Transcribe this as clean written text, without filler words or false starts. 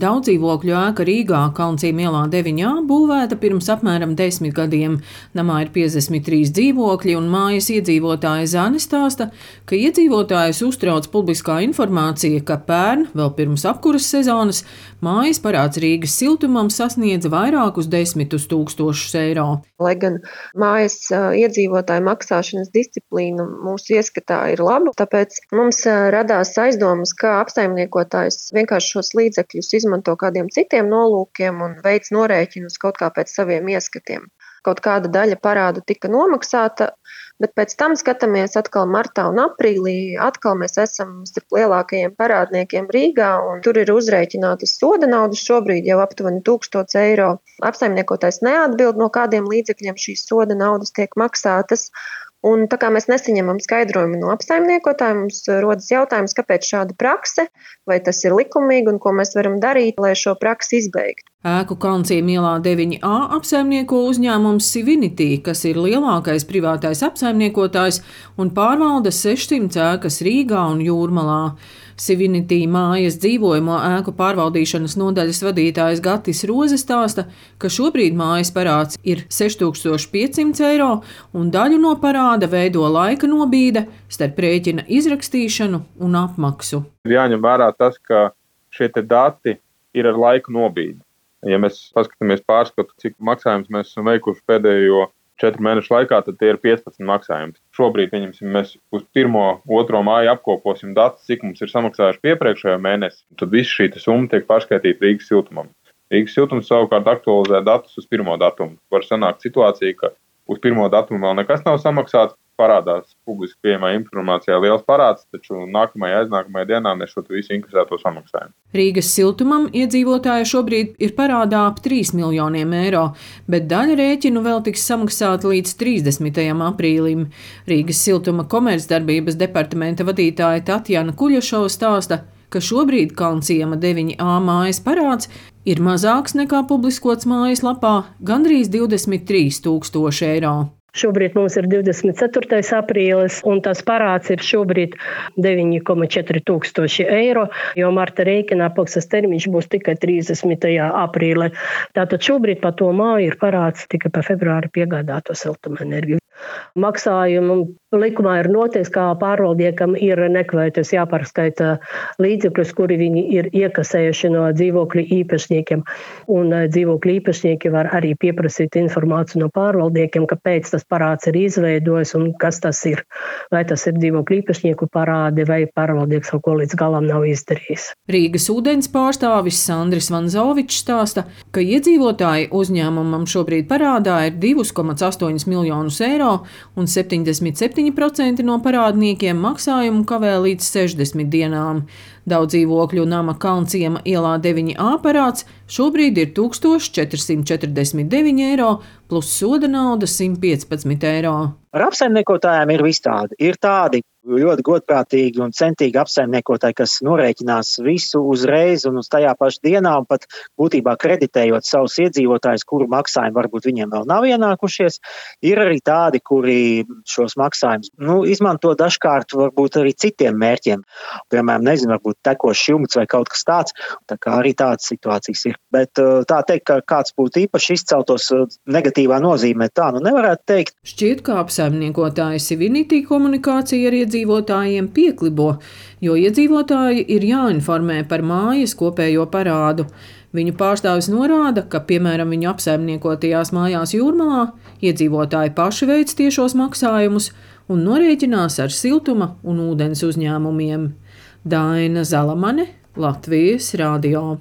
Daudz dzīvokļu ēka Rīgā, Kalncīm ielā 9A, būvēta pirms apmēram 10 gadiem. Namā ir 53 dzīvokļi, un mājas iedzīvotāja Zane stāsta, ka iedzīvotājus uztrauc publiskā informācija, ka pērn, vēl pirms apkuras sezonas, mājas parāds Rīgas siltumam sasniedz vairākus desmitus tūkstošus eiro. Lai gan mājas iedzīvotāju maksāšanas disciplīna mūsu ieskatā ir laba, tāpēc mums radās aizdomas, ka apsaimniekotājs vienkārši šos līdzekļus izmanto kādiem citiem nolūkiem un veic norēķinus kaut kā pēc saviem ieskatiem. Kaut kāda daļa parādu tika nomaksāta, bet pēc tam skatāmies atkal martā un aprīlī. Atkal mēs esam starp lielākajiem parādniekiem Rīgā, un tur ir uzrēķinātas soda naudas šobrīd jau aptuveni 1000 eiro. Apsaimniekotājs neatbild, no kādiem līdzekļiem šīs soda naudas tiek maksātas. Un tā kā mēs nesaņemam skaidrojumu no apsaimniekotāja, mums rodas jautājums, kāpēc šāda prakse, vai tas ir likumīgi un ko mēs varam darīt, lai šo praksi izbeigtu. Ēku Kalncīm ielā 9A apsaimnieko uzņēmums Sivinity, kas ir lielākais privātais apsaimniekotājs un pārvalda 600 ēkas Rīgā un Jūrmalā. Sivinity mājas dzīvojamo ēku pārvaldīšanas nodaļas vadītājs Gatis Roze stāsta, ka šobrīd mājas parāds ir 6500 eiro un daļu no parāda veido laika nobīde starp rēķina izrakstīšanu un apmaksu. Jāņem vērā tas, ka šie dati ir ar laiku nobīdi. Ja mēs paskatāmies pārskatu, cik maksājumus mēs esam veikuši pēdējo 4 mēnešu laikā, tad tie ir 15 maksājumi. Šobrīd, mēs uz 1.2. māju apkoposim datus, cik mums ir samaksājuši iepriekšējo mēnesi, tad visa šī summa tiek pārskaitīta Rīgas siltumam. Rīgas siltums savukārt aktualizē datus uz 1. datumu. Var sanākt situācija, ka uz 1. datumu vēl nekas nav samaksāts, parādās publiski pieejamā informācijā liels parāds, taču nākamajā aiznākamajā dienā mēs šo visu inkasēto samaksājam. Rīgas siltumam iedzīvotāji šobrīd ir parādā ap 3 miljoniem eiro, bet daļa rēķinu vēl tiks samaksāta līdz 30. aprīlim. Rīgas siltuma komercdarbības departamenta vadītāja Tatjana Kuļašova stāsta, ka šobrīd Kalnciema 9A mājas parāds ir mazāks nekā publiskots mājaslapā – gandrīz 23 000 eiro. Šobrīd mums ir 24. aprīlis, un tas parāds ir šobrīd 9,4 tūkstoši eiro, jo marta rēķina apmaksas termiņš būs tikai 30. aprīlī. Tātad šobrīd par to māju ir parāds tikai par februāri piegādāto siltumenerģiju. Maksājumu likumā ir noteikts, kā pārvaldniekam ir nekavējoties jāpārskaita līdzekļus, kuri viņi ir iekasējuši no dzīvokļu īpašniekiem. Un dzīvokļu īpašnieki var arī pieprasīt informāciju no pārvaldniekiem, kāpēc tas parāds ir izveidojis un kas tas ir. Vai tas ir dzīvokļu īpašnieku parādi vai pārvaldnieks kaut ko līdz galam nav izdarījis. Rīgas ūdens pārstāvis Sandris Vanzovičs stāsta, ka iedzīvotāji uzņēmumam šobrīd parādā ir 2,8 miljonus eiro un 77% no parādniekiem maksājumu kavē līdz 60 dienām. Daudz dzīvokļu nama Kalnciema ielā 9A parāds šobrīd ir 1449 eiro plus soda nauda 115 eiro. Ar apsaimniekotājiem ir visādi. Ir tādi ļoti godprātīgi un centīgi apsaimniekotāji, kas norēķinās visu uzreiz un uz tajā pašā dienā, un pat būtībā kreditējot savus iedzīvotājus, kuru maksājumi varbūt viņiem vēl nav ienākušies. Ir arī tādi, kuri šos maksājumus izmanto dažkārt varbūt arī citiem mērķiem. Piemēram, varbūt tekošs jumts vai kaut kas tāds. Tā kā arī tādas situācijas ir. Bet tā teikt, ka kāds būtu īpaši izceltos negatīvā nozīmē, tā nevarētu teikt. Šķiet, ka apsaimniekotāji Sivinity komunikācija ar iedzīvotājiem pieklibo, jo iedzīvotāji ir jāinformē par mājas kopējo parādu. Viņu pārstāvis norāda, ka, piemēram, viņu apsaimniekotajās mājās Jūrmalā iedzīvotāji paši veic tiešos maksājumus un norēķinās ar siltuma un ūdens uzņēmumiem. Daina Zalamane, Latvijas radio.